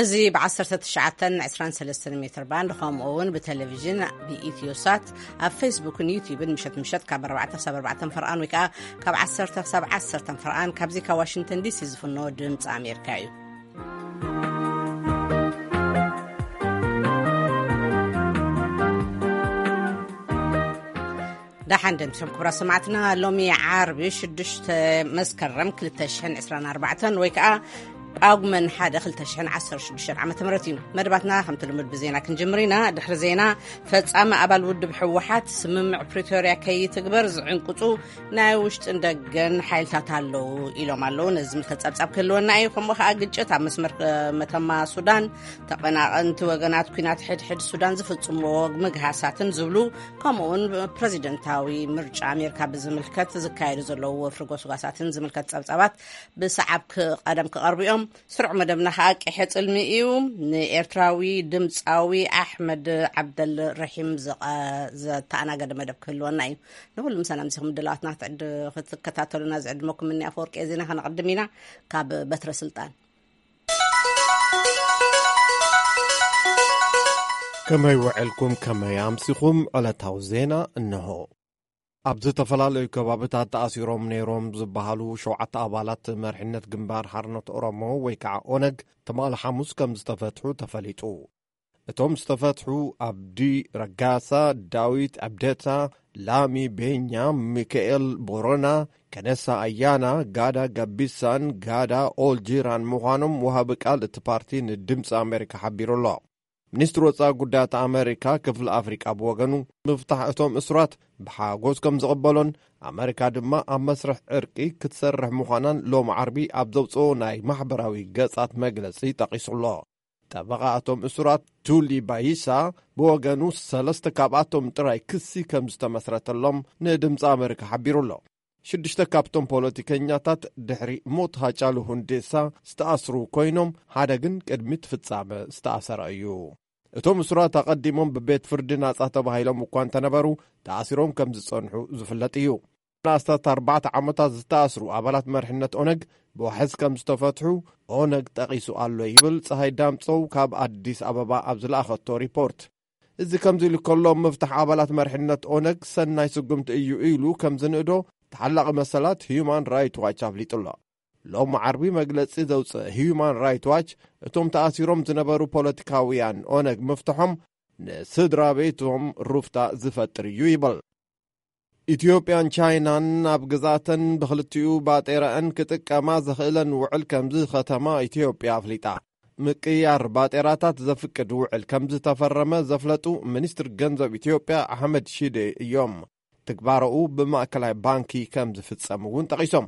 እዚ ብ19 23 ሜትር ባንድ፣ ከምኡ እውን ብቴሌቪዥን ብኢትዮ ሳት፣ ኣብ ፌስቡክን ዩቲዩብን ምሸት ምሸት ካብ ኣርባዕተ ክሳብ ኣርባዕተ ፈርቓን ወይ ከዓ ካብ ዓሰርተ ክሳብ ዓሰርተ ፈርቓን ካብዚ ካብ ዋሽንግተን ዲሲ ዝፍኖ ድምፂ ኣሜሪካ እዩ። ደሓን ደምሲኹም ክቡራት ሰማዕትና። ሎሚ ዓርቢ ሽዱሽተ መስከረም ክልተ ሽሕን ዕስራን ኣርባዕተን ወይ ከዓ ጳጉመን ሓደ ክልተ ሽሕን ዓሰርተ ሽዱሽተን ዓመተ ምህረት እዩ። መደባትና ከምቲ ልሙድ ብዜና ክንጅምር ኢና። ድሕሪ ዜና፣ ፈጻሚ ኣባል ውድብ ህወሓት ስምምዕ ፕሪቶርያ ከይትግበር ዝዕንቅጹ ናይ ውሽጥን ደገን ሓይልታት ኣለዉ ኢሎም ኣለዉ። ነዚ ዝምልከት ጸብጻብ ክህልወና እዩ። ከምኡ ከኣ ግጭት ኣብ መስመር መተማ ሱዳን፣ ተቐናቐንቲ ወገናት ኲናት ሕድሕድ ሱዳን ዝፍጽምዎ ምግሃሳትን ዝብሉ፣ ከምኡውን ፕረዚደንታዊ ምርጫ ኣሜሪካ ብዝምልከት ዝካየዱ ዘለዉ ወፍሪ ጎስጓሳትን ዝምልከት ጸብጻባት ብሰዓብ ክ-፣ ቀደም ክቐርቡ እዮም። ስሩዕ መደብና ከኣ ቅሐ ጽልሚ እዩ። ንኤርትራዊ ድምጻዊ ኣሕመድ ዓብደል ረሒም ዘቐ-፣ ዘተኣናገደ መደብ ክህልወና እዩ። ንኹሉ ምሳና ምሲኹም ድላዋትና ክትዕድ-፣ ክትከታተሉና ዝዕድመኩም እኒ ኣፈወርቂ ዜና ከነቕድም ኢና። ካብ በትረ ስልጣን። ከመይ ውዕልኩም፣ ከመይ ኣምሲኹም? ዕለታዊ ዜና እንሆ። ኣብ ዝተፈላለዩ ከባብታት ተኣሲሮም ነይሮም ዝበሃሉ ሸውዓተ ኣባላት መርሕነት ግንባር ሓርነት ኦሮሞ ወይ ከዓ ኦነግ ትማሊ ሓሙስ ከም ዝተፈትሑ ተፈሊጡ። እቶም ዝተፈትሑ ኣብዲ ረጋሳ፣ ዳዊት ኣብደታ፣ ላሚ ቤኛ፣ ሚካኤል ቦሮና፣ ከነሳ ኣያና፣ ጋዳ ገቢሳን ጋዳ ኦልጂራን ምዃኖም ወሃቢ ቃል እቲ ፓርቲ ንድምፂ ኣሜሪካ ሓቢሩ ኣሎ። ሚኒስትሪ ወፃኢ ጉዳያት ኣሜሪካ ክፍሊ ኣፍሪቃ ብወገኑ፣ ምፍታሕ እቶም እሱራት ብሓጎስ ከም ዝቕበሎን ኣሜሪካ ድማ ኣብ መስርሕ ዕርቂ ክትሰርሕ ምዃናን ሎም ዓርቢ ኣብ ዘውፅኦ ናይ ማሕበራዊ ገጻት መግለጺ ጠቒሱ ኣሎ። ጠበቓ እቶም እሱራት ቱሊ ባይሳ ብወገኑ፣ ሰለስተ ካብኣቶም ጥራይ ክሲ ከም ዝተመስረተሎም ንድምፂ ኣሜሪካ ሓቢሩ ኣሎ። ሽዱሽተ ካብቶም ፖለቲከኛታት ድሕሪ ሞት ሃጫሉ ሁንዴሳ ዝተኣስሩ ኮይኖም፣ ሓደ ግን ቅድሚ እቲ ፍጻመ ዝተኣሰረ እዩ። እቶም እሱራት ኣቐዲሞም ብቤት ፍርዲ ናጻ ተባሂሎም እኳ እንተነበሩ፣ ተኣሲሮም ከም ዝጸንሑ ዝፍለጥ እዩ። ንኣስታት ኣርባዕተ ዓመታት ዝተኣስሩ ኣባላት መርሕነት ኦነግ ብዋሕስ ከም ዝተፈትሑ ኦነግ ጠቒሱ ኣሎ ይብል ጸሃይ ዳምጸው ካብ ኣዲስ ኣበባ ኣብ ዝለኣኸቶ ሪፖርት። እዚ ከምዚ ኢሉ ከሎ፣ ምፍታሕ ኣባላት መርሕነት ኦነግ ሰናይ ስጉምቲ እዩ ኢሉ ከም ዝንእዶ ተሓላቒ መሰላት ሂዩማን ራይት ዋች ኣፍሊጡ ኣሎ። ሎም ዓርቢ መግለጺ ዘውፅእ ሂዩማን ራይት ዋች፣ እቶም ተኣሲሮም ዝነበሩ ፖለቲካውያን ኦነግ ምፍትሖም ንስድራ ቤቶም ሩፍታ ዝፈጥር እዩ ይብል። ኢትዮጵያን ቻይናን ኣብ ግዛተን ብኽልቲኡ ባጤራኣን ክጥቀማ ዘኽእለን ውዕል ከምዚ ከተማ ኢትዮጵያ ኣፍሊጣ። ምቅያር ባጤራታት ዘፍቅድ ውዕል ከምዝተፈረመ ዘፍለጡ ሚኒስትር ገንዘብ ኢትዮጵያ ኣሕመድ ሺዴ እዮም። ትግባረኡ ብማእከላይ ባንኪ ከም ዝፍጸም እውን ጠቒሶም።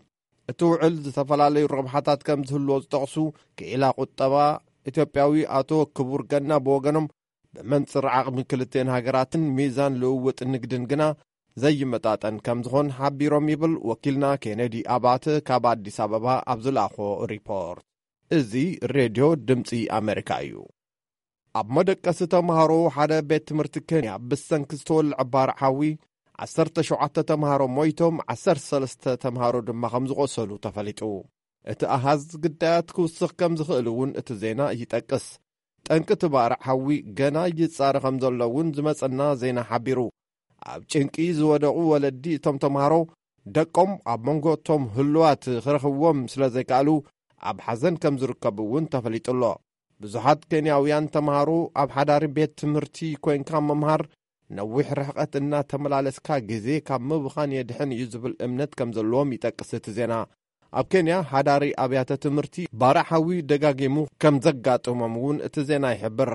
እቲ ውዕል ዝተፈላለዩ ረብሓታት ከም ዝህልዎ ዝጠቕሱ ክኢላ ቁጠባ ኢትዮጵያዊ ኣቶ ክቡር ገና ብወገኖም፣ ብመንጽር ዓቕሚ ክልቴን ሃገራትን ሚዛን ልውውጥ ንግድን ግና ዘይመጣጠን ከም ዝኾን ሓቢሮም ይብል ወኪልና ኬነዲ ኣባተ ካብ ኣዲስ ኣበባ ኣብ ዝለኣኾ ሪፖርት። እዚ ሬድዮ ድምጺ ኣሜሪካ እዩ። ኣብ መደቀሲ ተምሃሮ ሓደ ቤት ትምህርቲ ኬንያ ብሰንኪ ዝተወልዐ ባርዕ ሓዊ ዓሰርተ ሸውዓተ ተምሃሮ ሞይቶም፣ ዓሰርተ ሰለስተ ተምሃሮ ድማ ከም ዝቖሰሉ ተፈሊጡ። እቲ ኣሃዝ ግዳያት ክውስኽ ከም ዝኽእል እውን እቲ ዜና ይጠቅስ። ጠንቂ እቲ ባርዕ ሓዊ ገና ይጻረ ከም ዘሎ እውን ዝመጸና ዜና ሓቢሩ። ኣብ ጭንቂ ዝወደቑ ወለዲ እቶም ተምሃሮ ደቆም ኣብ መንጎ እቶም ህሉዋት ክረኽብዎም ስለ ዘይከኣሉ ኣብ ሓዘን ከም ዝርከቡ እውን ተፈሊጡ ኣሎ። ብዙሓት ኬንያውያን ተምሃሮ ኣብ ሓዳሪ ቤት ትምህርቲ ኮይንካ ምምሃር ነዊሕ ርሕቀት እናተመላለስካ ግዜ ካብ ምብኻን የድሕን እዩ ዝብል እምነት ከም ዘለዎም ይጠቅስ እቲ ዜና። ኣብ ኬንያ ሓዳሪ ኣብያተ ትምህርቲ ባርዕ ሓዊ ደጋጊሙ ከም ዘጋጥሞም እውን እቲ ዜና ይሕብር።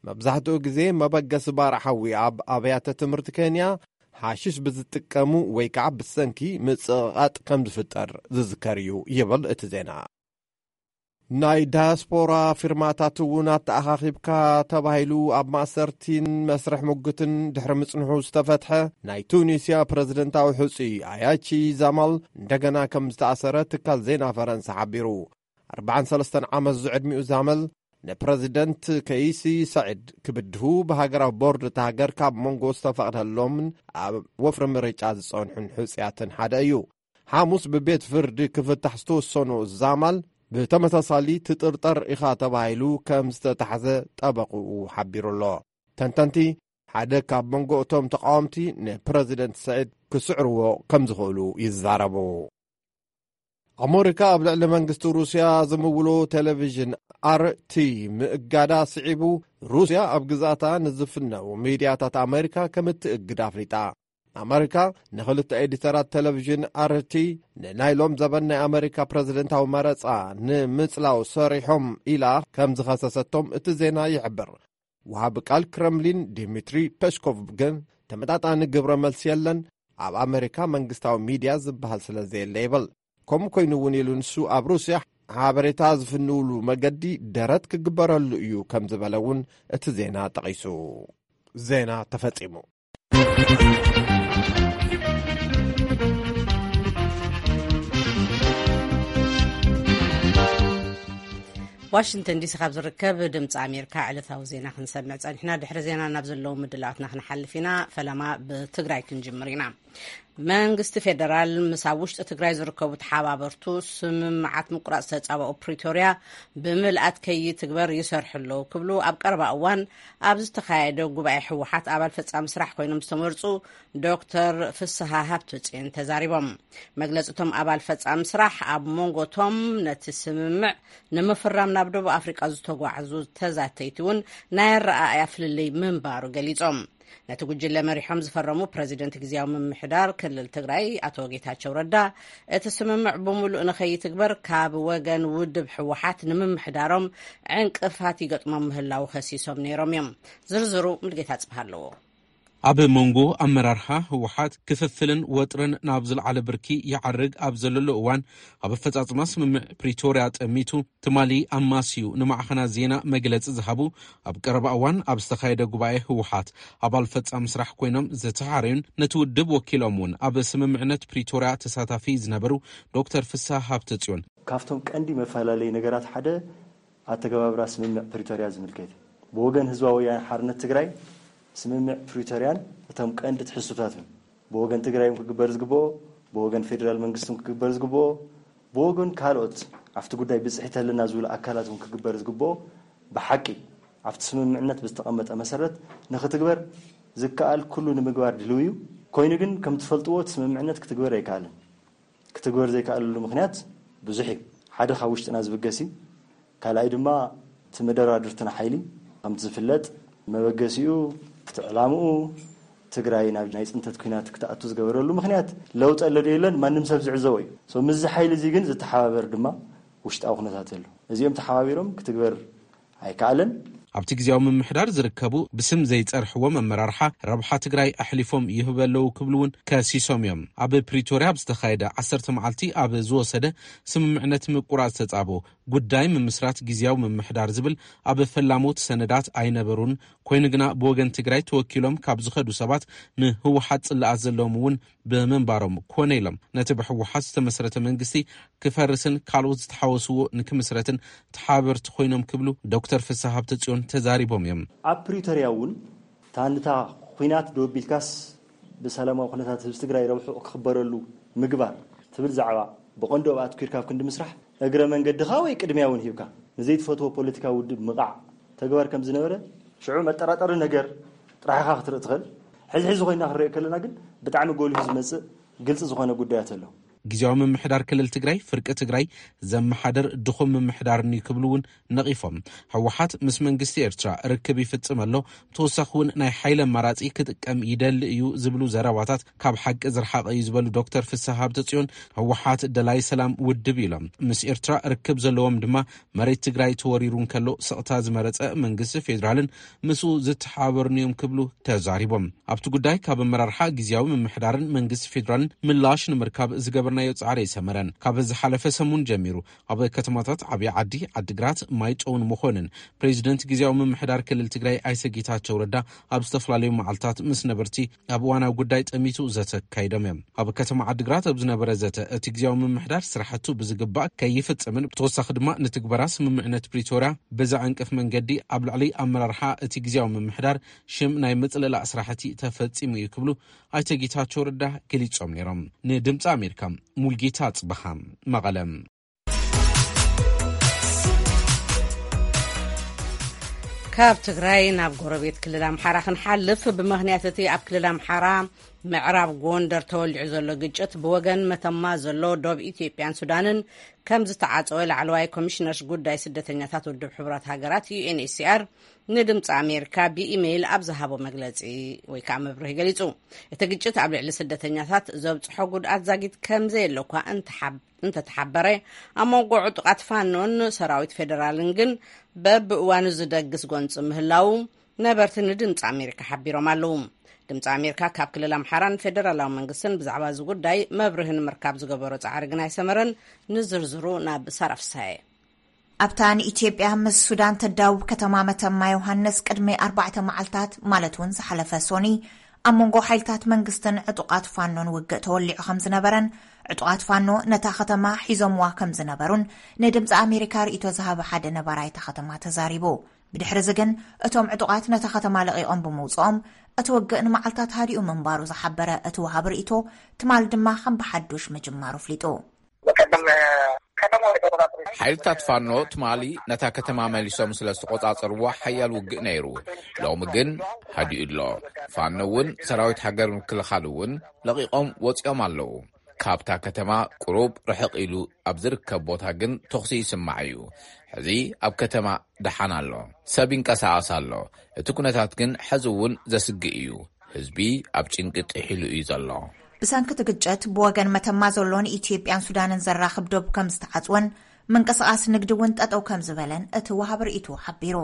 መብዛሕትኡ ግዜ መበገሲ ባርዕ ሓዊ ኣብ ኣብያተ ትምህርቲ ኬንያ ሓሽሽ ብዝጥቀሙ ወይ ከዓ ብሰንኪ ምጽቕቓጥ ከም ዝፍጠር ዝዝከር እዩ ይብል እቲ ዜና። ናይ ዳያስፖራ ፊርማታት እውን ኣተኣኻኺብካ ተባሂሉ ኣብ ማእሰርቲን መስርሕ ሙግትን ድሕሪ ምጽንሑ ዝተፈትሐ ናይ ቱኒስያ ፕረዚደንታዊ ሕጹይ ኣያቺ ዛማል እንደገና ከም ዝተኣሰረ ትካል ዜና ፈረንሳ ሓቢሩ። ኣርባዓን ሰለስተን ዓመት ዝዕድሚኡ ዛመል ንፕረዚደንት ከይሲ ሰዒድ ክብድሁ ብሃገራዊ ቦርድ እታ ሃገር ካብ መንጎ ዝተፈቕደሎምን ኣብ ወፍሪ ምርጫ ዝጸንሑን ሕጹያትን ሓደ እዩ። ሓሙስ ብቤት ፍርዲ ክፍታሕ ዝተወሰኖ ዛማል ብተመሳሳሊ ትጥርጠር ኢኻ ተባሂሉ ከም ዝተታሕዘ ጠበቕኡ ሓቢሩ ኣሎ። ተንተንቲ ሓደ ካብ መንጎ እቶም ተቃወምቲ ንፕረዚደንት ስዒድ ክስዕርዎ ከም ዝኽእሉ ይዛረቡ። ኣመሪካ ኣብ ልዕሊ መንግስቲ ሩስያ ዝምውሎ ቴሌቪዥን ኣር ቲ ምእጋዳ ስዒቡ፣ ሩስያ ኣብ ግዛታ ንዝፍነው ሚድያታት ኣመሪካ ከም እትእግድ ኣፍሊጣ። ኣመሪካ ንኽልተ ኤዲተራት ቴሌቪዥን ኣር ቲ ንናይ ሎም ዘበን ናይ ኣመሪካ ፕረዚደንታዊ መረጻ ንምጽላው ሰሪሖም ኢላ ከም ዝኸሰሰቶም እቲ ዜና ይሕብር። ወሃቢ ቃል ክረምሊን ዲሚትሪ ፔስኮቭ ግን ተመጣጣኒ ግብረ መልሲ የለን፣ ኣብ ኣመሪካ መንግስታዊ ሚድያ ዝበሃል ስለ ዘየለ ይብል። ከምኡ ኮይኑ እውን ኢሉ ንሱ ኣብ ሩስያ ሓበሬታ ዝፍንውሉ መገዲ ደረት ክግበረሉ እዩ ከም ዝበለ እውን እቲ ዜና ጠቒሱ። ዜና ተፈጺሙ። ዋሽንግተን ዲሲ ካብ ዝርከብ ድምፂ ኣሜሪካ ዕለታዊ ዜና ክንሰምዕ ፀኒሕና። ድሕሪ ዜና ናብ ዘለዉ ምድላዋትና ክንሓልፍ ኢና። ፈለማ ብትግራይ ክንጅምር ኢና። መንግስቲ ፌደራል ምስ ኣብ ውሽጢ ትግራይ ዝርከቡ ተሓባበርቱ ስምምዓት ምቁራፅ ዝተፃባኡ ፕሪቶርያ ብምልኣት ከይትግበር ይሰርሑ ኣለዉ ክብሉ ኣብ ቀረባ እዋን ኣብ ዝተኻየደ ጉባኤ ህወሓት ኣባል ፈፃሚ ስራሕ ኮይኖም ዝተመርፁ ዶክተር ፍስሃ ሃብተፅዮን ተዛሪቦም። መግለፂ እቶም ኣባል ፈፃሚ ስራሕ ኣብ መንጎ እቶም ነቲ ስምምዕ ንምፍራም ናብ ደቡብ ኣፍሪቃ ዝተጓዕዙ ተዛተይቲ እውን ናይ ኣረኣእያ ፍልልይ ምንባሩ ገሊፆም። ነቲ ጉጅለ መሪሖም ዝፈረሙ ፕረዚደንት ግዝያዊ ምምሕዳር ክልል ትግራይ ኣቶ ጌታቸው ረዳ፣ እቲ ስምምዕ ብምሉእ ንኸይትግበር ካብ ወገን ውድብ ህወሓት ንምምሕዳሮም ዕንቅፋት ይገጥሞም ምህላዉ ከሲሶም ነይሮም እዮም። ዝርዝሩ ሙልጌታ ጽብሃ ኣለዎ። ኣብ መንጎ ኣመራርሓ ህወሓት ክፍፍልን ወጥርን ናብ ዝለዓለ ብርኪ ይዓርግ ኣብ ዘለሉ እዋን፣ ኣብ ኣፈጻጽማ ስምምዕ ፕሪቶርያ ጠሚቱ ትማሊ ኣማስዩ ንማዕኸናት ዜና መግለጺ ዝሃቡ፣ ኣብ ቀረባ እዋን ኣብ ዝተኻየደ ጉባኤ ህወሓት ኣባል ፈጻሚ ስራሕ ኮይኖም ዝተሓረዩን ነቲ ውድብ ወኪሎም እውን ኣብ ስምምዕነት ፕሪቶርያ ተሳታፊ ዝነበሩ ዶክተር ፍስሃ ሃብተጽዮን፣ ካብቶም ቀንዲ መፈላለዪ ነገራት ሓደ ኣተገባብራ ስምምዕ ፕሪቶርያ ዝምልከት እዩ። ብወገን ህዝባዊ ወያነ ሓርነት ትግራይ ስምምዕ ፕሪቶርያን እቶም ቀንዲ ትሕዝቶታትን ብወገን ትግራይ እውን ክግበር ዝግብኦ፣ ብወገን ፌዴራል መንግስቲ እውን ክግበር ዝግብኦ፣ ብወገን ካልኦት ኣብቲ ጉዳይ ብፅሒት ኣለና ዝብሉ ኣካላት እውን ክግበር ዝግብኦ፣ ብሓቂ ኣብቲ ስምምዕነት ብዝተቐመጠ መሰረት ንክትግበር ዝከኣል ኩሉ ንምግባር ድልው እዩ። ኮይኑ ግን ከም ትፈልጥዎ እቲ ስምምዕነት ክትግበር ኣይከኣልን። ክትግበር ዘይከኣለሉ ምኽንያት ብዙሕ እዩ። ሓደ ካብ ውሽጥና ዝብገስ እዩ። ካልኣይ ድማ እቲ መደራድርትና ሓይሊ ከምቲ ዝፍለጥ መበገሲኡ እቲ ዕላምኡ ትግራይ ናብ ናይ ፅንተት ኩናት ክትኣቱ ዝገበረሉ ምኽንያት ለውጢ ኣሎ ዶ የለን ማንም ሰብ ዝዕዘቦ እዩ። So ምስዚ ሓይሊ እዚ ግን ዝተሓባበር ድማ ውሽጣዊ ኩነታት ኣሎ። እዚኦም ተሓባቢሮም ክትግበር ኣይከኣለን። ኣብቲ ግዜያዊ ምምሕዳር ዝርከቡ ብስም ዘይጸርሕዎም ኣመራርሓ ረብሓ ትግራይ ኣሕሊፎም ይህቡ ኣለዉ ክብሉ እውን ከሲሶም እዮም። ኣብ ፕሪቶርያ ኣብ ዝተኻየደ ዓሰርተ መዓልቲ ኣብ ዝወሰደ ስምምዕነት ምቁራጽ ተጻቦ ጉዳይ ምምስራት ግዜያዊ ምምሕዳር ዝብል ኣብ ፈላሞት ሰነዳት ኣይነበሩን። ኮይኑ ግና ብወገን ትግራይ ተወኪሎም ካብ ዝኸዱ ሰባት ንህወሓት ጽላኣት ዘለዎም እውን ብምንባሮም ኮነ ኢሎም ነቲ ብህወሓት ዝተመስረተ መንግስቲ ክፈርስን ካልኦት ዝተሓወስዎ ንክምስረትን ተሓበርቲ ኮይኖም ክብሉ ዶክተር ፍስሃ ሃብተጽዮን ተዛሪቦም እዮም። ኣብ ፕሪቶርያ እውን ታንታ ኲናት ደው ኣቢልካስ ብሰላማዊ ኩነታት ህዝቢ ትግራይ ረብሑ ክኽበረሉ ምግባር ትብል ዛዕባ ብቐንዱ ኣብ ኣትኲርካ ኣብ ክንዲ ምስራሕ እግረ መንገድኻ ወይ ቅድሚያ እውን ሂብካ ንዘይትፈትዎ ፖለቲካዊ ውድብ ምቓዕ ተግባር ከም ዝነበረ ሽዑ መጠራጠሪ ነገር ጥራሕ ኢኻ ክትርኢ ትኽእል። ሕዚ ሕዚ ኮይና ክንሪኦ ከለና ግን ብጣዕሚ ጎሊሁ ዝመጽእ ግልጺ ዝኾነ ጉዳያት ኣሎ። ግዜያዊ ምምሕዳር ክልል ትግራይ ፍርቂ ትግራይ ዘመሓድር ድኹም ምምሕዳርን እዩ ክብሉ እውን ነቒፎም። ህወሓት ምስ መንግስቲ ኤርትራ ርክብ ይፍጽም ኣሎ፣ ብተወሳኺ እውን ናይ ሓይሊ ኣማራጺ ክጥቀም ይደሊ እዩ ዝብሉ ዘረባታት ካብ ሓቂ ዝረሓቐ እዩ ዝበሉ ዶክተር ፍስሃ ሃብተጽዮን፣ ህወሓት ደላይ ሰላም ውድብ ኢሎም ምስ ኤርትራ ርክብ ዘለዎም ድማ መሬት ትግራይ ተወሪሩ እንከሎ ስቕታ ዝመረጸ መንግስቲ ፌዴራልን ምስኡ ዝተሓባበሩን እዮም ክብሉ ተዛሪቦም። ኣብቲ ጉዳይ ካብ ኣመራርሓ ግዜያዊ ምምሕዳርን መንግስቲ ፌዴራልን ምላሽ ንምርካብ ዝገበርናዮ ጻዕሪ ኣይሰመረን። ካብ ዝሓለፈ ሰሙን ጀሚሩ ኣብ ከተማታት ዓብዪ ዓዲ፣ ዓዲግራት፣ ማይጨውን መኾንን ፕሬዚደንት ግዜያዊ ምምሕዳር ክልል ትግራይ ኣይተ ጌታቸው ረዳ ኣብ ዝተፈላለዩ መዓልታት ምስ ነበርቲ ኣብ እዋናዊ ጉዳይ ጠሚቱ ዘተ ኣካይዶም እዮም። ኣብ ከተማ ዓዲግራት ኣብ ዝነበረ ዘተ እቲ ግዜያዊ ምምሕዳር ስራሕቱ ብዝግባእ ከይፍጽምን ብተወሳኺ ድማ ንትግበራ ስምምዕነት ፕሪቶርያ ብዘዕንቅፍ መንገዲ ኣብ ልዕሊ ኣመራርሓ እቲ ግዜያዊ ምምሕዳር ሽም ናይ ምጽልላእ ስራሕቲ ተፈጺሙ እዩ ክብሉ ኣይተ ጌታቸው ረዳ ገሊጾም ነይሮም። ንድምፂ ኣሜሪካ ሙልጌታ ጽበሃ መቐለ። ካብ ትግራይ ናብ ጎረቤት ክልል ኣምሓራ ክንሓልፍ፣ ብምኽንያት እቲ ኣብ ክልል ኣምሓራ ምዕራብ ጎንደር ተወሊዑ ዘሎ ግጭት፣ ብወገን መተማ ዘሎ ዶብ ኢትዮጵያን ሱዳንን ከም ዝተዓጸወ ላዕለዋይ ኮሚሽነር ጉዳይ ስደተኛታት ውድብ ሕቡራት ሃገራት፣ ዩ ኤን ኤች ሲ ኣር፣ ንድምፂ ኣሜሪካ ብኢሜይል ኣብ ዝሃቦ መግለፂ ወይ ከዓ መብርሂ ገሊጹ። እቲ ግጭት ኣብ ልዕሊ ስደተኛታት ዘብፅሖ ጉድኣት ዛጊት ከም ዘየለ እኳ እንተሓብ-፣ እንተተሓበረ፣ ኣብ መንጎ ዕጡቓት ፋኖን ሰራዊት ፌደራልን ግን በብእዋኑ ዝደግስ ጎንፂ ምህላዉ ነበርቲ ንድምፂ ኣሜሪካ ሓቢሮም ኣለዉ። ድምፂ ኣሜሪካ ካብ ክልል ኣምሓራን ፌደራላዊ መንግስትን ብዛዕባ እዚ ጉዳይ መብርሂ ንምርካብ ዝገበሮ ፃዕሪ ግን ኣይሰመረን። ንዝርዝሩ ናብ ሳራ ፍሳየ። ኣብታ ንኢትዮጵያ ምስ ሱዳን ተዳውብ ከተማ መተማ ዮሃንስ ቅድሚ ኣርባዕተ መዓልታት፣ ማለት እውን ዝሓለፈ ሶኒ፣ ኣብ መንጎ ሓይልታት መንግስትን ዕጡቓት ፋኖን ውግእ ተወሊዑ ከም ዝነበረን፣ ዕጡቓት ፋኖ ነታ ከተማ ሒዞምዋ ከም ዝነበሩን ንድምፂ ኣሜሪካ ርእይቶ ዝሃበ ሓደ ነባራይ እታ ከተማ ተዛሪቡ። ብድሕሪ እዚ ግን እቶም ዕጡቓት ነታ ከተማ ለቒቖም ብምውፅኦም፣ እቲ ውግእ ንመዓልታት ሃዲኡ ምንባሩ ዝሓበረ እቲ ወሃቢ ርእይቶ፣ ትማል ድማ ከም ብሓዱሽ ምጅማሩ ኣፍሊጡ። ሓይልታት ፋኖ ትማሊ ነታ ከተማ መሊሶም ስለ ዝተቖጻጸርዋ ሓያል ውግእ ነይሩ። ሎሚ ግን ሃዲኡ ኣሎ። ፋኖ እውን ሰራዊት ሃገር ምክልኻል እውን ለቒቖም ወጺኦም ኣለዉ። ካብታ ከተማ ቁሩብ ርሕቕ ኢሉ ኣብ ዝርከብ ቦታ ግን ተኹሲ ይስማዕ እዩ። ሕዚ ኣብ ከተማ ደሓን ኣሎ። ሰብ ይንቀሳቐስ ኣሎ። እቲ ኩነታት ግን ሕዚ እውን ዘስግእ እዩ። ህዝቢ ኣብ ጭንቂ ጥሒሉ እዩ ዘሎ። ብሰንኪ እቲ ግጭት፣ ብወገን መተማ ዘሎ ንኢትዮጵያን ሱዳንን ዘራኽብ ዶብ ከም ዝተዓጽወን፣ ምንቅስቓስ ንግዲ እውን ጠጠው ከም ዝበለን እቲ ወሃቢ ርእይቶ ሓቢሩ።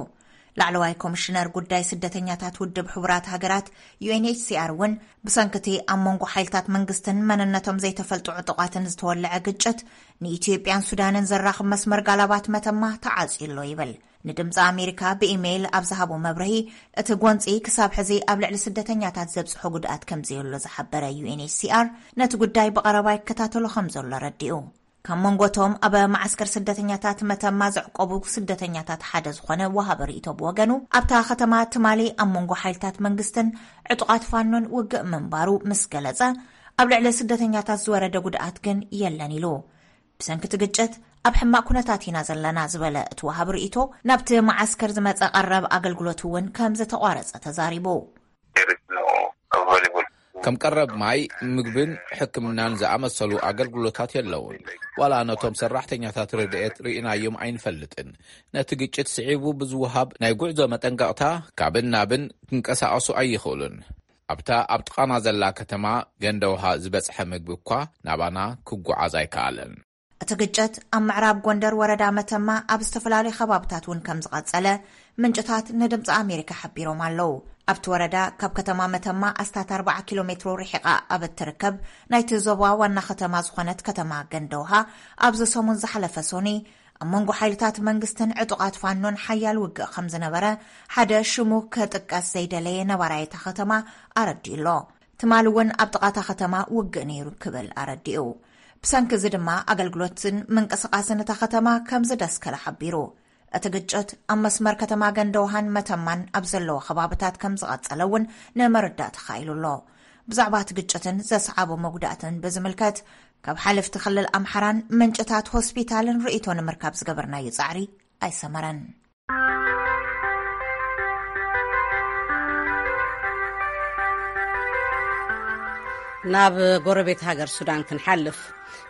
ላዕለዋይ ኮሚሽነር ጉዳይ ስደተኛታት ውድብ ሕቡራት ሃገራት፣ ዩ ኤን ኤች ሲ ኣር፣ እውን ብሰንኪ እቲ ኣብ መንጎ ሓይልታት መንግስትን መንነቶም ዘይተፈልጡ ዕጡቓትን ዝተወለዐ ግጭት፣ ንኢትዮጵያን ሱዳንን ዘራኽብ መስመር ጋላባት መተማ ተዓጽዩ ኣሎ ይብል። ንድምፂ ኣሜሪካ ብኢሜይል ኣብ ዝሃቦ መብርሂ፣ እቲ ጎንፂ ክሳብ ሕዚ ኣብ ልዕሊ ስደተኛታት ዘብፅሖ ጉድኣት ከም ዘየሎ ዝሓበረ ዩ ኤን ኤች ሲ ኣር፣ ነቲ ጉዳይ ብቐረባ ይከታተሎ ከም ዘሎ ኣረዲኡ። ካብ መንጎቶም ኣብ መዓስከር ስደተኛታት መተማ ዘዕቆቡ ስደተኛታት ሓደ ዝኾነ ወሃቢ ርእይቶ ብወገኑ፣ ኣብታ ከተማ ትማሊ ኣብ መንጎ ሓይልታት መንግስትን ዕጡቓት ፋኖን ውግእ ምንባሩ ምስ ገለጸ፣ ኣብ ልዕሊ ስደተኛታት ዝወረደ ጉድኣት ግን የለን ኢሉ። ብሰንኪ እቲ ግጭት ኣብ ሕማቕ ኩነታት ኢና ዘለና ዝበለ እቲ ወሃቢ ርእይቶ፣ ናብቲ መዓስከር ዝመጸ ቀረብ ኣገልግሎት እውን ከም ዝተቋረጸ ተዛሪቡ። ከም ቀረብ ማይ፣ ምግብን ሕክምናን ዝኣመሰሉ ኣገልግሎታት የለውን። ዋላ ነቶም ሰራሕተኛታት ረድኤት ርኢናዮም ኣይንፈልጥን። ነቲ ግጭት ስዒቡ ብዝወሃብ ናይ ጉዕዞ መጠንቀቕታ ካብን ናብን ክንቀሳቐሱ ኣይኽእሉን። ኣብታ ኣብ ጥቓና ዘላ ከተማ ገንደ ውሃ ዝበጽሐ ምግቢ እኳ ናባና ክጓዓዝ ኣይከኣለን። እቲ ግጭት ኣብ ምዕራብ ጎንደር ወረዳ መተማ ኣብ ዝተፈላለዩ ከባብታት እውን ከም ዝቐጸለ ምንጭታት ንድምፂ ኣሜሪካ ሓቢሮም ኣለዉ። ኣብቲ ወረዳ ካብ ከተማ መተማ ኣስታት ኣርባዓ ኪሎ ሜትሮ ርሒቓ ኣብ እትርከብ ናይቲ ዞባ ዋና ከተማ ዝኾነት ከተማ ገንደ ውሃ፣ ኣብዚ ሰሙን ዝሓለፈ ሶኒ ኣብ መንጎ ሓይልታት መንግስትን ዕጡቓት ፋኖን ሓያል ውግእ ከም ዝነበረ ሓደ ሽሙ ክጥቀስ ዘይደለየ ነባራይ እታ ከተማ ኣረዲኡ ኣሎ። ትማሊ እውን ኣብ ጥቓ እታ ከተማ ውግእ ነይሩ ክብል ኣረዲኡ። ብሰንኪ እዚ ድማ ኣገልግሎትን ምንቅስቓስን እታ ከተማ ከም ዝደስከለ ሓቢሩ። እቲ ግጭት ኣብ መስመር ከተማ ገንደውሃን መተማን ኣብ ዘለዎ ከባብታት ከም ዝቐጸለ እውን ንምርዳእ ተኻኢሉ ኣሎ። ብዛዕባ እቲ ግጭትን ዘስዓቦ መጉዳእትን ብዝምልከት፣ ካብ ሓለፍቲ ክልል ኣምሓራን ምንጭታት ሆስፒታልን ርእይቶ ንምርካብ ዝገበርናዮ ጻዕሪ ኣይሰመረን። ናብ ጎረቤት ሃገር ሱዳን ክንሓልፍ።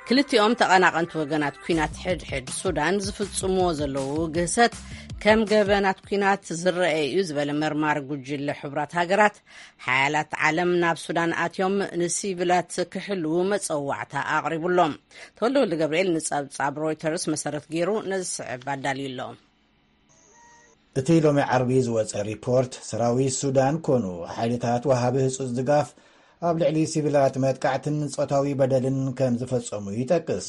ክልቲኦም ተቐናቐንቲ ወገናት ኲናት ሕድሕድ ሱዳን ዝፍጽምዎ ዘለዉ ግህሰት ከም ገበናት ኲናት ዝረአ እዩ ዝበለ መርማሪ ጉጅለ ሕቡራት ሃገራት፣ ሓያላት ዓለም ናብ ሱዳን ኣትዮም ንሲቪላት ክሕልዉ መጸዋዕታ ኣቕሪቡሎም። ተወልደ ወልደ ገብርኤል ንጸብጻብ ሮይተርስ መሰረት ገይሩ ነዚ ስዕብ ኣዳልዩ ኣሎ። እቲ ሎሚ ዓርቢ ዝወጸ ሪፖርት፣ ሰራዊት ሱዳን ኮኑ ሓይልታት ወሃቢ ህጹጽ ድጋፍ ኣብ ልዕሊ ሲቪላት መጥቃዕትን ጾታዊ በደልን ከም ዝፈጸሙ ይጠቅስ።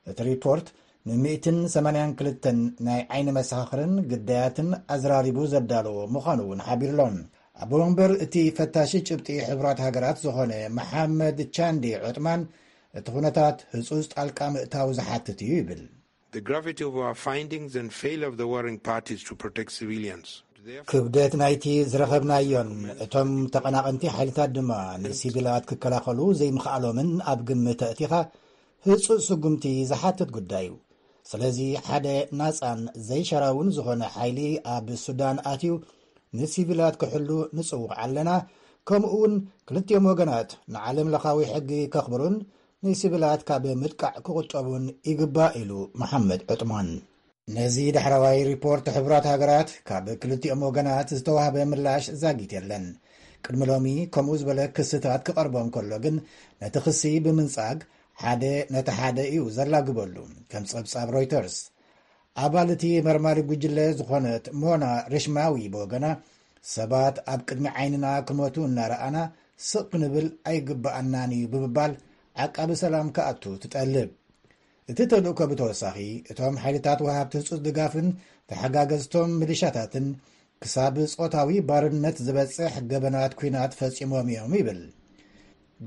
እቲ ሪፖርት፣ ን ሚእትን ሰማንያን ክልተን ናይ ዓይኒ መሰኻኽርን ግዳያትን ኣዝራሪቡ ዘዳለዎ ምዃኑ እውን ሓቢሩ ኣሎ። ኣቦ ወንበር እቲ ፈታሺ ጭብጢ ሕቡራት ሃገራት ዝኾነ መሓመድ ቻንዲ ዑጥማን፣ እቲ ኩነታት ህጹጽ ጣልቃ ምእታው ዝሓትት እዩ ይብል። The gravity of our findings and failure of the warring parties to protect civilians. ክብደት ናይቲ ዝረኸብናዮን እቶም ተቐናቐንቲ ሓይልታት ድማ ንሲቪላት ክከላኸሉ ዘይምኽኣሎምን ኣብ ግምት ኣእቲኻ ህጹጽ ስጉምቲ ዝሓትት ጉዳይ እዩ። ስለዚ ሓደ ናጻን ዘይሸራውን ዝኾነ ሓይሊ ኣብ ሱዳን ኣትዩ ንሲቪላት ክሕሉ ንጽውዕ ኣለና። ከምኡ እውን ክልቲኦም ወገናት ንዓለም ለኻዊ ሕጊ ከኽብሩን ንሲቪላት ካብ ምጥቃዕ ክቑጠቡን ይግባእ ኢሉ መሓመድ ዑጥማን። ነዚ ዳሕረዋይ ሪፖርት ሕቡራት ሃገራት ካብ ክልቲኦም ወገናት ዝተዋህበ ምላሽ ዛጊት የለን። ቅድሚ ሎሚ ከምኡ ዝበለ ክስታት ክቐርቦ እንከሎ ግን ነቲ ክሲ ብምንጻግ ሓደ ነቲ ሓደ እዩ ዘላግበሉ። ከም ጸብጻብ ሮይተርስ ኣባል እቲ መርማሪ ጉጅለ ዝኾነት ሞና ርሽማዊ ብወገና ሰባት ኣብ ቅድሚ ዓይንና ክመቱ እናረኣና ስቕ ክንብል ኣይግብኣናን እዩ ብምባል ዓቃቢ ሰላም ክኣቱ ትጠልብ። እቲ ተልእኮ ብተወሳኺ እቶም ሓይልታት ወሃብቲ ህጹጽ ድጋፍን ተሓጋገዝቶም ሚሊሻታትን ክሳብ ጾታዊ ባርነት ዝበጽሕ ገበናት ኲናት ፈጺሞም እዮም ይብል።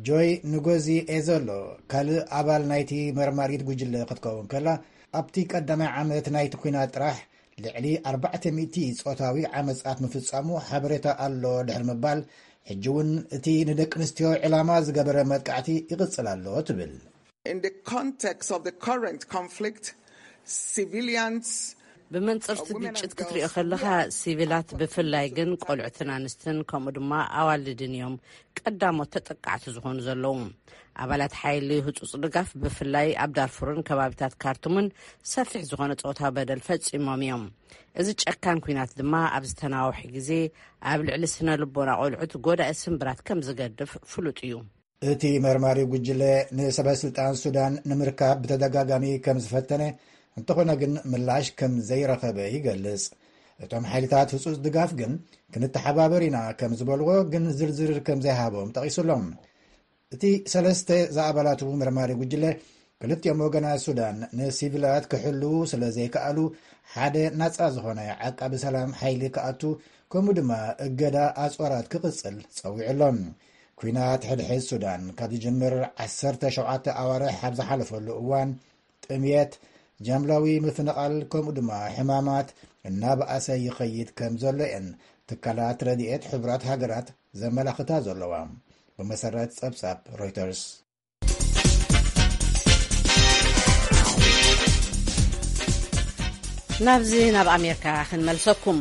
ጆይ ንጎዚ ኤዘሎ ካልእ ኣባል ናይቲ መርማሪት ጉጅለ ክትከውን ከላ ኣብቲ ቀዳማይ ዓመት ናይቲ ኲናት ጥራሕ ልዕሊ ኣርባዕተ ሚእቲ ጾታዊ ዓመጻት ምፍጻሙ ሓበሬታ ኣሎ ድሕሪ ምባል ሕጂ እውን እቲ ንደቂ ኣንስትዮ ዕላማ ዝገበረ መጥቃዕቲ ይቕጽል ኣሎ ትብል። In the context of the current conflict, civilians ብመንጽርቲ ግጭት ክትሪኦ ከለኻ ሲቪላት ብፍላይ ግን ቆልዑትን ኣንስትን ከምኡ ድማ ኣዋልድን እዮም ቀዳሞት ተጠቃዕቲ ዝኾኑ ዘለዉ። ኣባላት ሓይሊ ህጹጽ ድጋፍ ብፍላይ ኣብ ዳርፉርን ከባቢታት ካርቱምን ሰፊሕ ዝኾነ ጾታዊ በደል ፈጺሞም እዮም። እዚ ጨካን ኲናት ድማ ኣብ ዝተናውሐ ግዜ ኣብ ልዕሊ ስነ ልቦና ቆልዑት ጎዳኢ ስምብራት ከም ዝገድፍ ፍሉጥ እዩ። እቲ መርማሪ ጉጅለ ንሰበ ስልጣን ሱዳን ንምርካብ ብተደጋጋሚ ከም ዝፈተነ እንተኾነ ግን ምላሽ ከም ዘይረኸበ ይገልጽ። እቶም ሓይልታት ህጹጽ ድጋፍ ግን ክንተሓባበር ኢና ከም ዝበልዎ ግን ዝርዝር ከም ዘይሃቦም ጠቒሱሎም። እቲ ሰለስተ ዝኣባላቱ መርማሪ ጉጅለ ክልቲኦም ወገናት ሱዳን ንሲቪላት ክሕልዉ ስለ ዘይከኣሉ ሓደ ናጻ ዝኾነ ዓቃቢ ሰላም ሓይሊ ክኣቱ ከምኡ ድማ እገዳ ኣጽዋራት ክቕጽል ጸዊዑ ኣሎ። ኲናት ሕድሕድ ሱዳን ካብ ዝጅምር ዓሰርተ ሸውዓተ ኣዋርሕ ኣብ ዝሓለፈሉ እዋን ጥምየት፣ ጃምላዊ ምፍንቓል ከምኡ ድማ ሕማማት እናበኣሰ ይኸይድ ከም ዘሎ እየን ትካላት ረድኤት ሕቡራት ሃገራት ዘመላኽታ ዘለዋ። ብመሰረት ጸብጻብ ሮይተርስ። ናብዚ ናብ ኣሜሪካ ክንመልሰኩም።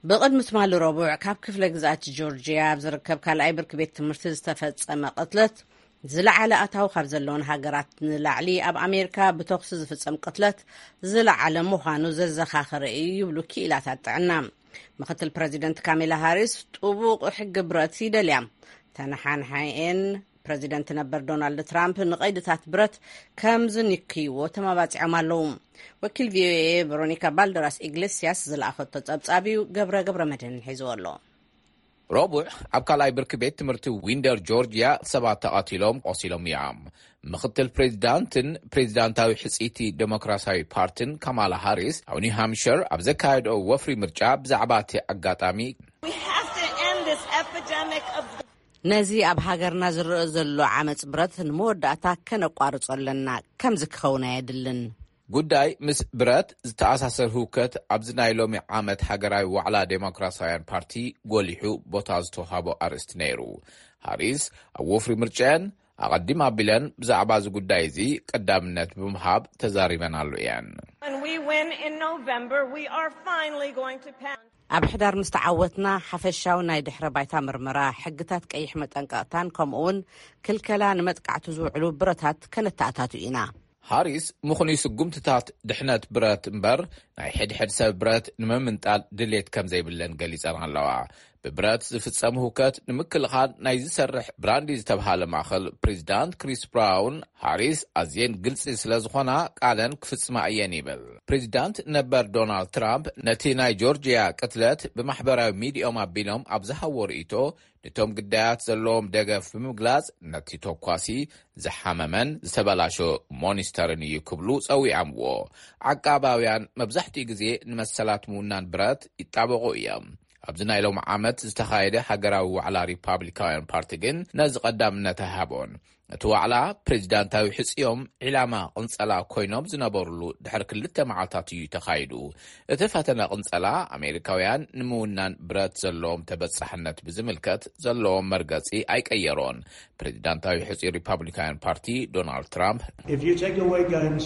ብቕድሚ ትማሊ ረቡዕ ካብ ክፍለ ግዝኣት ጆርጅያ ኣብ ዝርከብ ካልኣይ ብርኪ ቤት ትምህርቲ ዝተፈጸመ ቅትለት ዝለዓለ ኣታዊ ካብ ዘለውን ሃገራት ንላዕሊ ኣብ ኣሜሪካ ብተኹሲ ዝፍጸም ቅትለት ዝለዓለ ምዃኑ ዘዘኻኸረ እዩ ይብሉ ክኢላታት ጥዕና። ምክትል ፕረዚደንት ካሜላ ሃሪስ ጥቡቕ ሕጊ ብረት ይደልያ። ተነሓንሓኤን ፕረዚደንት ነበር ዶናልድ ትራምፕ ንቐይድታት ብረት ከም ዝንክይዎ ተማባጺዖም ኣለዉ። ወኪል ቪኦኤ ቨሮኒካ ባልደራስ ኢግሌስያስ ዝለኣኸቶ ጸብጻብ እዩ። ገብረ ገብረ መድህን ሒዝዎ ኣሎ። ረቡዕ ኣብ ካልኣይ ብርኪ ቤት ትምህርቲ ዊንደር ጆርጅያ ሰባት ተቐቲሎም ቆሲሎም እዮም። ምክትል ፕሬዚዳንትን ፕሬዚዳንታዊ ሕፅይቲ ዴሞክራሲያዊ ፓርቲን ካማላ ሃሪስ ኣብ ኒው ሃምሽር ኣብ ዘካየደኦ ወፍሪ ምርጫ ብዛዕባ እቲ ኣጋጣሚ We have to end this epidemic of ነዚ ኣብ ሃገርና ዝረአ ዘሎ ዓመፅ ብረት ንመወዳእታ ከነቋርጾ ኣለና። ከምዚ ክኸውን ኣየድልን። ጉዳይ ምስ ብረት ዝተኣሳሰር ህውከት ኣብዚ ናይ ሎሚ ዓመት ሃገራዊ ዋዕላ ዴሞክራሲያውያን ፓርቲ ጎሊሑ ቦታ ዝተውሃቦ ኣርእስቲ ነይሩ። ሃሪስ ኣብ ወፍሪ ምርጫየን ኣቐዲም ኣቢለን ብዛዕባ እዚ ጉዳይ እዚ ቀዳምነት ብምሃብ ተዛሪበናሉ እየን። When we win in November, we are finally going to pass. ኣብ ሕዳር ምስ ተዓወትና ሓፈሻዊ ናይ ድሕረ ባይታ ምርመራ፣ ሕግታት ቀይሕ መጠንቀቕታን ከምኡውን ክልከላ ንመጥቃዕቲ ዝውዕሉ ብረታት ከነተኣታቱ ኢና። ሃሪስ ምኽኑይ ስጉምትታት ድሕነት ብረት እምበር ናይ ሕድሕድ ሰብ ብረት ንምምንጣል ድሌት ከም ዘይብለን ገሊጸን ኣለዋ። ብብረት ዝፍጸም ህውከት ንምክልኻል ናይ ዝሰርሕ ብራንዲ ዝተብሃለ ማእኸል ፕሬዚዳንት ክሪስ ብራውን ሃሪስ ኣዝየን ግልፂ ስለ ዝኾና ቃለን ክፍጽማ እየን ይብል። ፕሬዚዳንት ነበር ዶናልድ ትራምፕ ነቲ ናይ ጆርጅያ ቅትለት ብማሕበራዊ ሚዲዮም ኣቢሎም ኣብ ዝሃቦ ርእይቶ ነቶም ግዳያት ዘለዎም ደገፍ ብምግላጽ ነቲ ተኳሲ ዝሓመመን ዝተበላሾ ሞኒስተርን እዩ ክብሉ ጸዊዖምዎ። ዓቃባውያን መብዛሕትኡ ግዜ ንመሰላት ምውናን ብረት ይጣበቑ እዮም። ኣብዚ ናይ ሎም ዓመት ዝተኻየደ ሃገራዊ ዋዕላ ሪፓብሊካውያን ፓርቲ ግን ነዚ ቀዳምነት ኣይሃቦን። እቲ ዋዕላ ፕሬዚዳንታዊ ሕጽዮም ዒላማ ቅንጸላ ኮይኖም ዝነበሩሉ ድሕሪ ክልተ መዓልታት እዩ ተኻይዱ። እቲ ፈተነ ቅንጸላ ኣሜሪካውያን ንምውናን ብረት ዘለዎም ተበጻሕነት ብዝምልከት ዘለዎም መርገጺ ኣይቀየሮን። ፕሬዚዳንታዊ ሕጹይ ሪፓብሊካውያን ፓርቲ ዶናልድ ትራምፕ If you take away guns,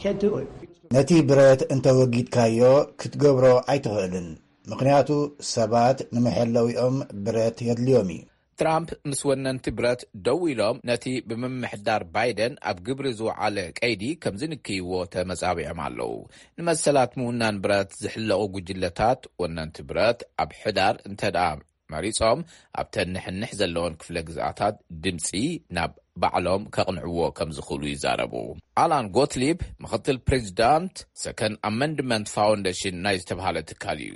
can't do it. ነቲ ብረት እንተወጊድካዮ ክትገብሮ ኣይትኽእልን፣ ምኽንያቱ ሰባት ንመሐለዊኦም ብረት የድልዮም እዩ። ትራምፕ ምስ ወነንቲ ብረት ደው ኢሎም ነቲ ብምምሕዳር ባይደን ኣብ ግብሪ ዝወዓለ ቀይዲ ከም ዝንክይዎ ተመጻቢዖም ኣለዉ። ንመሰላት ምውናን ብረት ዝሕለቑ ጉጅለታት ወነንቲ ብረት ኣብ ሕዳር እንተ ደኣ መሪጾም ኣብተን ንሕንሕ ዘለወን ክፍለ ግዝኣታት ድምጺ ናብ ባዕሎም ከቕንዕዎ ከም ዝኽእሉ ይዛረቡ። ኣላን ጎትሊብ ምኽትል ፕሬዚዳንት ሰከንድ ኣመንድመንት ፋውንዴሽን ናይ ዝተብሃለ ትካል እዩ።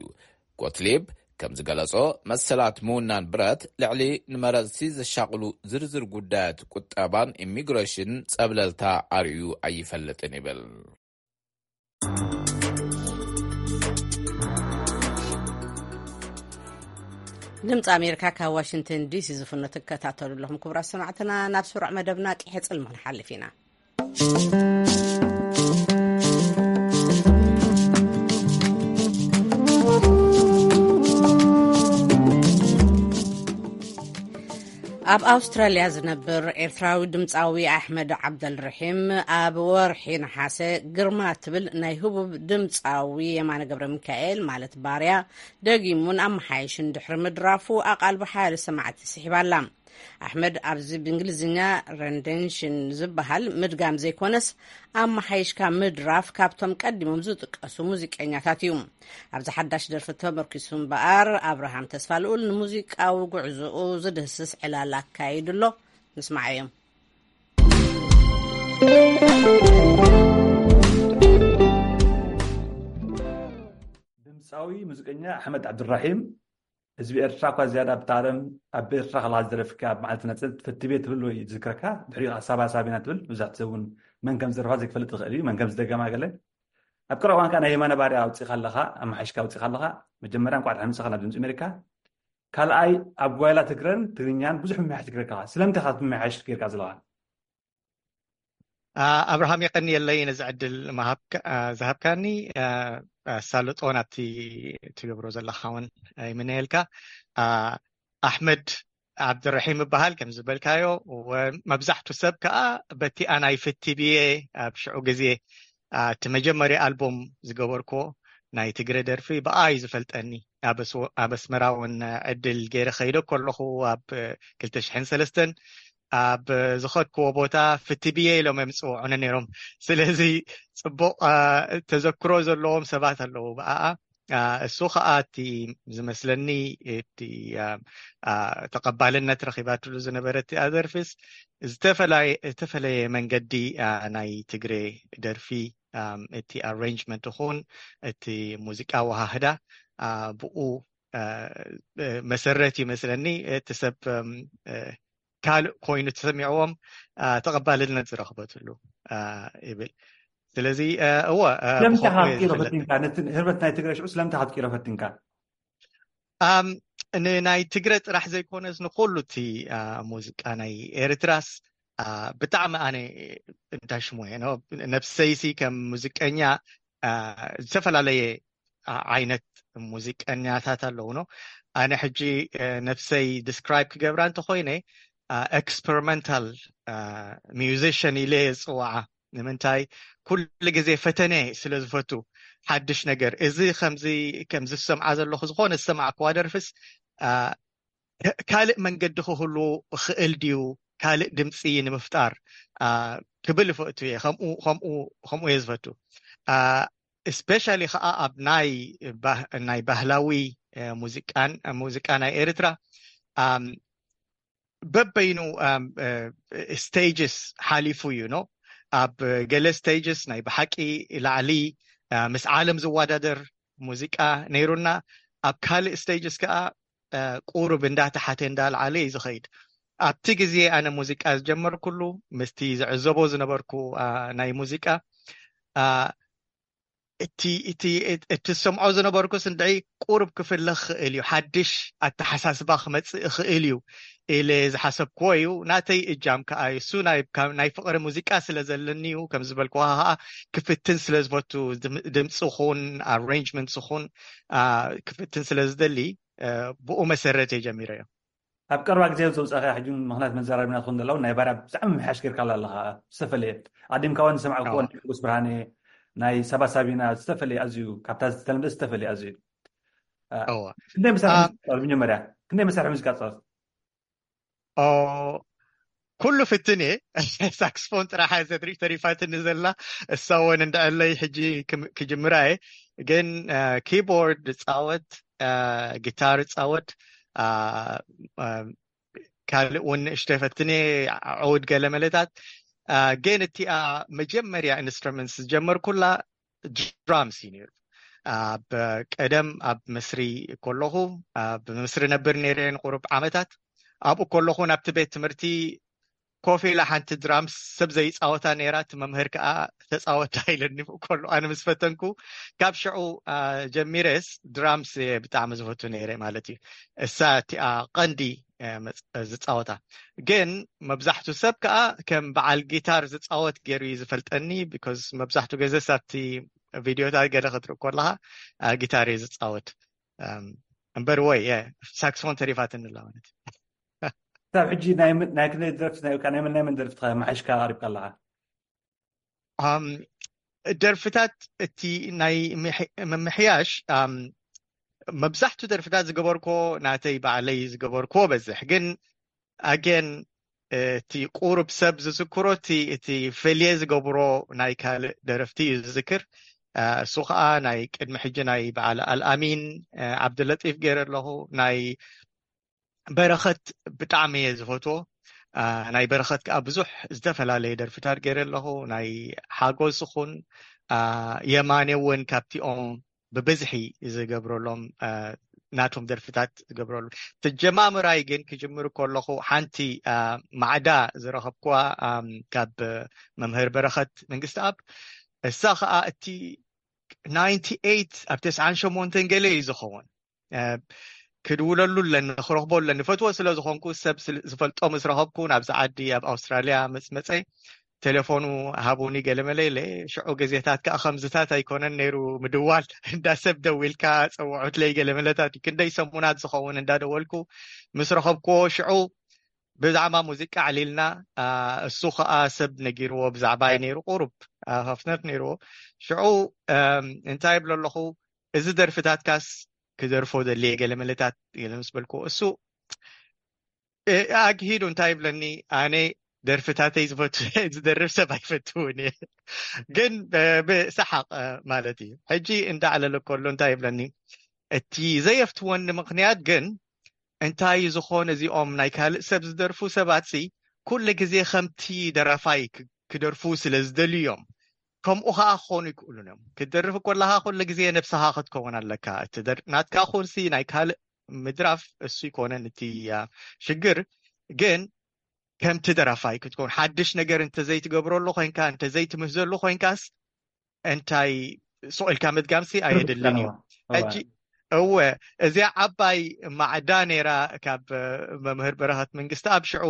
ጎትሊብ ከም ዝገለጾ መሰላት ምውናን ብረት ልዕሊ ንመረጽቲ ዘሻቕሉ ዝርዝር ጉዳያት ቁጠባን ኢሚግሬሽን ጸብለልታ ኣርእዩ ኣይፈልጥን ይብል። ድምፂ ኣሜሪካ ካብ ዋሽንግተን ዲሲ ዝፍኖ ትከታተሉ ኣለኹም። ክቡራት ሰማዕትና፣ ናብ ስሩዕ መደብና ቂሐ ፅልሚ ክንሓልፍ ኢና። ኣብ ኣውስትራልያ ዝነብር ኤርትራዊ ድምፃዊ ኣሕመድ ዓብደልርሒም ኣብ ወርሒ ነሓሰ ግርማ ትብል ናይ ህቡብ ድምፃዊ የማነ ገብረ ሚካኤል ማለት ባርያ ደጊሙን ኣመሓይሽን ድሕሪ ምድራፉ ኣቓልቦ ሓያሎ ሰማዕቲ ስሒባላ። ኣሕመድ ኣብዚ ብእንግሊዝኛ ረንደንሽን ዝበሃል ምድጋም ዘይኮነስ ኣመሓይሽካ ምድራፍ ካብቶም ቀዲሞም ዝጥቀሱ ሙዚቀኛታት እዩ። ኣብዚ ሓዳሽ ደርፊ ተመርኪሱ እምበኣር ኣብርሃም ተስፋልኡል ንሙዚቃዊ ጉዕዞኡ ዝድህስስ ዕላል ኣካይዱ ኣሎ። ንስማዓዮም። ድምፃዊ ሙዚቀኛ ኣሕመድ ዓብድራሒም ህዝቢ ኤርትራ እኳ ዝያዳ ኣብታ ዓለም ኣብ ኤርትራ ከለኻ ዝደረፍካ ኣብ መዓልቲ ነፃነት ፈትቤ ትብል ወይ ዝዝክረካ ድሕሪኡ ከዓ ሳባ ሳቢና ትብል መብዛሕትኡ ሰብ እውን መን ከም ዝደረፋ ዘይክፈልጥ ይኽእል እዩ መን ከም ዝደገማ ገለ ኣብ ቀረባ እዋን ከዓ ናይ የማነ ባርያ ኣውፂእካ ኣለኻ ኣመሓይሽካ ኣውፂእካ ኣለኻ መጀመርያ እንኳዕ ደሓን መፃኻ ናብ ድምፂ ኣሜሪካ ካልኣይ ኣብ ጓይላ ትግረን ትግርኛን ብዙሕ ምምሕያሽ ትግረካ ስለምንታይ ኢኻ ምምሕያሽ ጌርካ ዘለኻ ኣብርሃም የቀንየለይ ነዚ ዕድል ዝሃብካኒ ኣሳልጦ ናብቲ ትገብሮ ዘለካ እውን ይምነየልካ ኣሕመድ ዓብድረሒም ይበሃል ከም ዝበልካዮ መብዛሕቱ ሰብ ከዓ በቲኣ ናይ ፍቲ ብየ ኣብ ሽዑ ግዜ እቲ መጀመርያ ኣልቦም ዝገበርክዎ ናይ ትግረ ደርፊ ብኣ እዩ ዝፈልጠኒ ኣብ ኣስመራ እውን ዕድል ገይረ ከይደ ከለኹ ኣብ ክልተ ሽሕን ሰለስተን ኣብ ዝኸድክዎ ቦታ ፍቲ ብየ ኢሎም እዮም ዝፅውዑኒ ነይሮም ስለዚ ፅቡቕ ተዘክሮ ዘለዎም ሰባት ኣለዉ ብኣኣ እሱ ከዓ እቲ ዝመስለኒ እቲ ተቐባልነት ረኺባትሉ ዝነበረ እቲ ኣደርፊስ ዝተፈለየ መንገዲ ናይ ትግሬ ደርፊ እቲ ኣሬንጅመንት ይኹን እቲ ሙዚቃ ወሃህዳ ብኡ መሰረት ይመስለኒ እቲ ሰብ ካልእ ኮይኑ ተሰሚዕዎም ተቐባልነት ዝረኽበትሉ ይብል ስለዚ እወ ስለምንታይ ካብ ትቂሮ ፈቲንካ ነቲ ህርበት ናይ ትግራይ ሽዑ ስለምንታይ ካብ ትቂሮ ፈቲንካ ንናይ ትግረ ጥራሕ ዘይኮነስ ንኩሉ እቲ ሙዚቃ ናይ ኤርትራስ ብጣዕሚ ኣነ እንታይ ሽሙ እየ ነብሰይሲ ከም ሙዚቀኛ ዝተፈላለየ ዓይነት ሙዚቀኛታት ኣለውኖ ኣነ ሕጂ ነብሰይ ዲስክራይብ ክገብራ እንተኮይነ ኤክስፐሪመንታል ሚውዚሽን ኢለ ዝፅዋዓ ንምንታይ ኩሉ ግዜ ፈተነ ስለ ዝፈቱ ሓድሽ ነገር እዚ ከምዚ ከምዚ ዝሰምዓ ዘለኹ ዝኾነ ዝሰማዕክዋ ደርፍስ ካልእ መንገዲ ክህሉ ክእል ድዩ ካልእ ድምፂ ንምፍጣር ክብል ይፈቱ እየ ከምኡ እየ ዝፈቱ ስፔሻሊ ከዓ ኣብ ናይ ናይ ባህላዊ ሙዚቃ ናይ ኤርትራ በበይኑ ስቴጅስ ሓሊፉ እዩ ኖ ኣብ ገለ ስቴጅስ ናይ ብሓቂ ላዕሊ ምስ ዓለም ዝወዳደር ሙዚቃ ነይሩና ኣብ ካልእ ስቴጅስ ከዓ ቁሩብ እንዳተሓተ እንዳልዓለ እዩ ዝኸይድ ኣብቲ ግዜ ኣነ ሙዚቃ ዝጀመርኩሉ ምስቲ ዝዕዘቦ ዝነበርኩ ናይ ሙዚቃ እቲ እቲ እቲ ዝሰምዖ ዝነበርኩስ እንድዒ ቁሩብ ክፍለ ክኽእል እዩ ሓድሽ ኣተሓሳስባ ክመፅእ ይኽእል እዩ ኢለ ዝሓሰብክዎ እዩ ናተይ እጃም ከዓ እዩ እሱ ናይ ፍቅሪ ሙዚቃ ስለ ዘለኒ እዩ ከም ዝበልክዋ ከዓ ክፍትን ስለ ዝፈቱ ድምፂ ኹን ኣሬንጅመንት ኹን ክፍትን ስለ ዝደሊ ብኡ መሰረት እየ ጀሚረዮ ኣብ ቀርባ ግዜ ዘውፃእካ ሕጂ ምክንያት መዘራርብና ትኾን ዘለዉ ናይ ባርያ ብጣዕሚ ምሕያሽ ጌርካላ ኣለካ ዝተፈለየ ኣዲምካ ውን ዝሰማዕኩዎ ናይ ሕጉስ ብርሃነ ናይ ሳባ ሳቢና ዝተፈለየ ኣዝዩ፣ ካብታ ዝተለምደ ዝተፈለየ ኣዝዩ። እ፣ እወ ክንደይ መሳርሒ አ- ሙዚቃ ትፃወት? መጀመርያ ክንደይ መሳርሒ ሙዚቃ ትፃወት? ኦ ኩሉ ፍትን እየ። ሳክስፎን ጥራሕ እያ ዘድሪ ተሪፋትኒ ዘላ። እሳ እውን እንድዕለይ ሕጂ ክም- ክጅምራ እየ። ግን እ፣ ኪቦርድ እፃወት፣ እ፣ ጊታር እፃወት፣ እ፣ እ፣ ካልእ እውን ንእሽተይ ፈትን እየ፣ ዕውድ ገለ መለታት። እ፣ ግን እቲኣ መጀመርያ ኢንስትሩመንትስ ዝጀመርኩላ ድራምስ እዩ ነይሩ። ኣብ ቀደም ኣብ ምስሪ ከለኹ፣ ኣብ ምስሪ ነብር ነይረ ንቁሩብ ዓመታት። ኣብኡ ከለኹ ናብቲ ቤት ትምህርቲ ኮፍ ኢላ ሓንቲ ድራምስ ሰብ ዘይፃወታ ነይራ፣ እቲ መምህር ከዓ ተፃወታ ኢለኒ። ብኡ ከሎ ኣነ ምስ ፈተንኩ ካብ ሽዑ አ፣ ጀሚረስ ድራምስ እየ ብጣዕሚ ዝፈቱ ነይረ ማለት እዩ። እሳ እቲኣ ቀንዲ እ፣ መፅ- ዝፃወታ። ግን መብዛሕቱ ሰብ ከዓ ከም በዓል ጊታር ዝፃወት ገይሩ እዩ ዝፈልጠኒ። ቢኮዝ መብዛሕቱ ግዜ ሳብቲ ቪድዮታት ገለ ክትርኢ ከለካ አ፣ ጊታር እየ ዝፃወት። እም፣ እምበር ወይ እ፣ ሳክስፎን ተሪፋትኒ ኣላ ማለት እዩ። ክሳብ ሕጂ ናይ ምን- ናይ ክንደይ ደርፍቲ ናይ ናይ መን ናይ መን ደርፍቲ መሓሽካ ኣቅሪብካ ኣለካ? ኣም፣ ደርፍታት እቲ ናይ ምሕ- ምምሕያሽ ኣም፣ መብዛሕቱ ደርፍታት ዝገበርኮ ናተይ ባዕለይ ዝገበርኮ በዝሕ። ግን ኣገን እቲ ቁሩብ ሰብ ዝዝክሮ እቲ እቲ ፈልየ ዝገብሮ ናይ ካልእ ደረፍቲ እዩ ዝዝክር። እ፣ እሱ ከዓ ናይ ቅድሚ ሕጂ ናይ በዓል ኣልኣሚን እ፣ ዓብደለጢፍ ገይረ ኣለኹ። ናይ በረኸት ብጣዕሚ እየ ዝፈትዎ። እ፣ ናይ በረኸት ከዓ ብዙሕ ዝተፈላለየ ደርፍታት ገይረ ኣለኹ። ናይ ሓጎስ ይኹን እ፣ የማነ እውን ካብቲኦም ብብዝሒ ዝገብረሎም እ፣ ናቶም ደርፍታት ዝገብረሉ። ተጀማምራይ ግን ክጅምር ከለኹ ሓንቲ እ፣ ማዕዳ ዝረኸብኩዋ እ፣ ካብ መምህር በረኸት መንግስትኣብ፣ እሳ ከዓ እቲ ናይንቲ ኤይት ኣብ ተስዓን ሸሞንተን ገለ እዩ ዝኸውን። እ፣ ክድውለሉ ኣለኒ፣ ክረኽቦ ኣለኒ። ፈትዎ ስለ ዝኾንኩ ሰብ ስለ ዝፈልጦ ምስ ረኸብኩ ናብዚ ዓዲ ኣብ ኣውስትራልያ ምስ መፀ ቴሌፎኑ ሃቡኒ ገለመለ ኢለ። ሽዑ ግዜታት ከዓ ከምዝታት ኣይኮነን ነይሩ ምድዋል፣ እንዳ ሰብ ደዊልካ ፀውዑትለይ ገለመለታት እዩ። ክንደይ ሰሙናት ዝኸውን እንዳደወልኩ ምስ ረኸብኩዎ ሽዑ ብዛዕባ ሙዚቃ ኣዕሊልና። እ፣ እሱ ከዓ ሰብ ነጊርዎ ብዛዕባይ ነይሩ፣ ቁሩብ እ፣ ሃፍነት ነይርዎ። ሽዑ እም፣ እንታይ ይብሎ ኣለኹ፣ እዚ ደርፍታትካስ ክደርፎ ደልየ ገለመለታት ገለ ምስ በልኩዎ እሱ እ፣ ኣግሂዱ እንታይ ይብለኒ፣ ኣነ ደርፍታተይ ዝፈቱ ዝደርፍ ሰብ ኣይፈትውን እየ። ግን እ፣ ብሰሓቕ እ፣ ማለት እዩ። ሕጂ እንዳዕለለ ከሎ እንታይ ይብለኒ፣ እቲ ዘየፍትወኒ ምኽንያት ግን እንታይ ዝኾነ እዚኦም ናይ ካልእ ሰብ ዝደርፉ ሰባት ሲ ኩሉ ግዜ ከምቲ ደራፋይ ክ- ክደርፉ ስለ ዝደልዩ እዮም። ከምኡ ከዓ ክኾኑ ይክእሉን እዮም። ክትደርፍ ከለካ ኩሉ ግዜ ነብስኻ ክትከውን ኣለካ። እቲ ደር- ናትካ ኹንሲ ናይ ካልእ ምድራፍ እሱ ይኮነን እቲ ያ ሽግር። ግን ከምቲ ደራፋይ ክትከውን ሓድሽ ነገር እንተዘይትገብረሉ ኮይንካ እንተዘይትምህዘሉ ኮይንካስ እንታይ ሱቕ ኢልካ ምድጋምሲ ኣየድልን እዩ። ሕጂ እወ እዚኣ ዓባይ ማዕዳ ነይራ ካብ መምህር በረኸት መንግስቲ ኣብ ሽዑ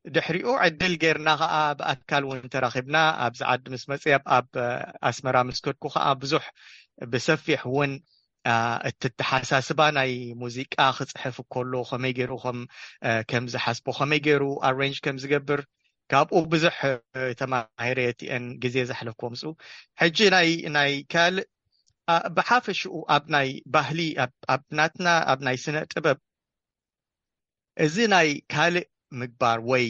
ድሕሪኡ ዕድል ጌርና ከዓ ብኣካል እውን ተራኺብና ኣብዚ ዓዲ ምስ መፅእ ኣብ ኣብ ኣስመራ ምስ ከድኩ ከዓ ብዙሕ ብሰፊሕ እውን እ፣ እተተሓሳስባ ናይ ሙዚቃ ክፅሕፍ ከሎ ከመይ ገይሩ ከም እ፣ ከም ዝሓስቦ ከመይ ገይሩ ኣሬንጅ ከም ዝገብር ካብኡ ብዙሕ እ፣ ተማሂረ እቲአን ግዜ ዘሕለፍኩዎ ምስኡ። ሕጂ ናይ ናይ ካልእ እ፣ ብሓፈሽኡ ኣብ ናይ ባህሊ ኣብ ኣብ ናትና ኣብ ናይ ስነ ጥበብ እዚ ናይ ካልእ ምግባር ወይ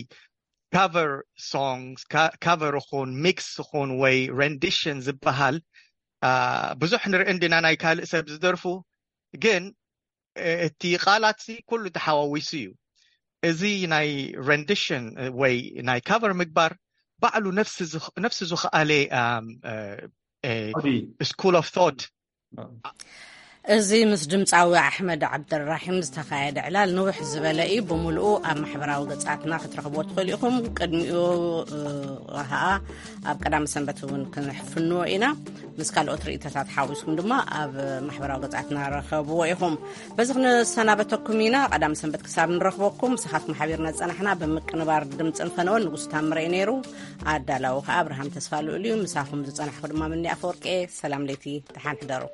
ካቨር ሶንግስ ካቨር ኹን ሚክስ ኹን ወይ ረንዲሽን ዝበሃል እ፣ ብዙሕ ንርኢ እንዲና ናይ ካልእ ሰብ ዝደርፉ። ግን እ፣ እቲ ቃላት ሲ ኩሉ ተሓዋዊሱ እዩ። እዚ ናይ ረንዲሽን ወይ ናይ ካቨር ምግባር ባዕሉ ነፍሲ ዝኽ- ነፍሲ ዝኸኣለ ኦዲ ስኩል ኦፍ ቶት እዚ ምስ ድምፃዊ ኣሕመድ ዓብደራሒም ዝተኻየደ ዕላል ንውሕ ዝበለ እዩ። ብምልኡ ኣብ ማሕበራዊ ገፃትና ክትረኽብዎ ትኽእሉ ኢኹም። ቅድሚኡ እ፣ ከዓ ኣብ ቀዳሚ ሰንበት እውን ክንሕፍንዎ ኢና። ምስ ካልኦት ርእይቶታት ሓዊስኩም ድማ ኣብ ማሕበራዊ ገፃትና ረኸብዎ ኢኹም። በዚ ክንሰናበተኩም ኢና። ቀዳሚ ሰንበት ክሳብ ንረኽበኩም ምሳኻትኩም ሓቢርና ዝፀናሕና ብምቅንባር ድምፅን ፈነወን ንጉስ ታምረ እዩ ነይሩ። ኣዳላዊ ከዓ ኣብርሃም ተስፋ ልኡል እዩ። ምሳኹም ዝፀናሕኩ ድማ ምኒ ኣፈወርቂ እየ። ሰላም ለይቲ፣ ደሓን ሕደሩ።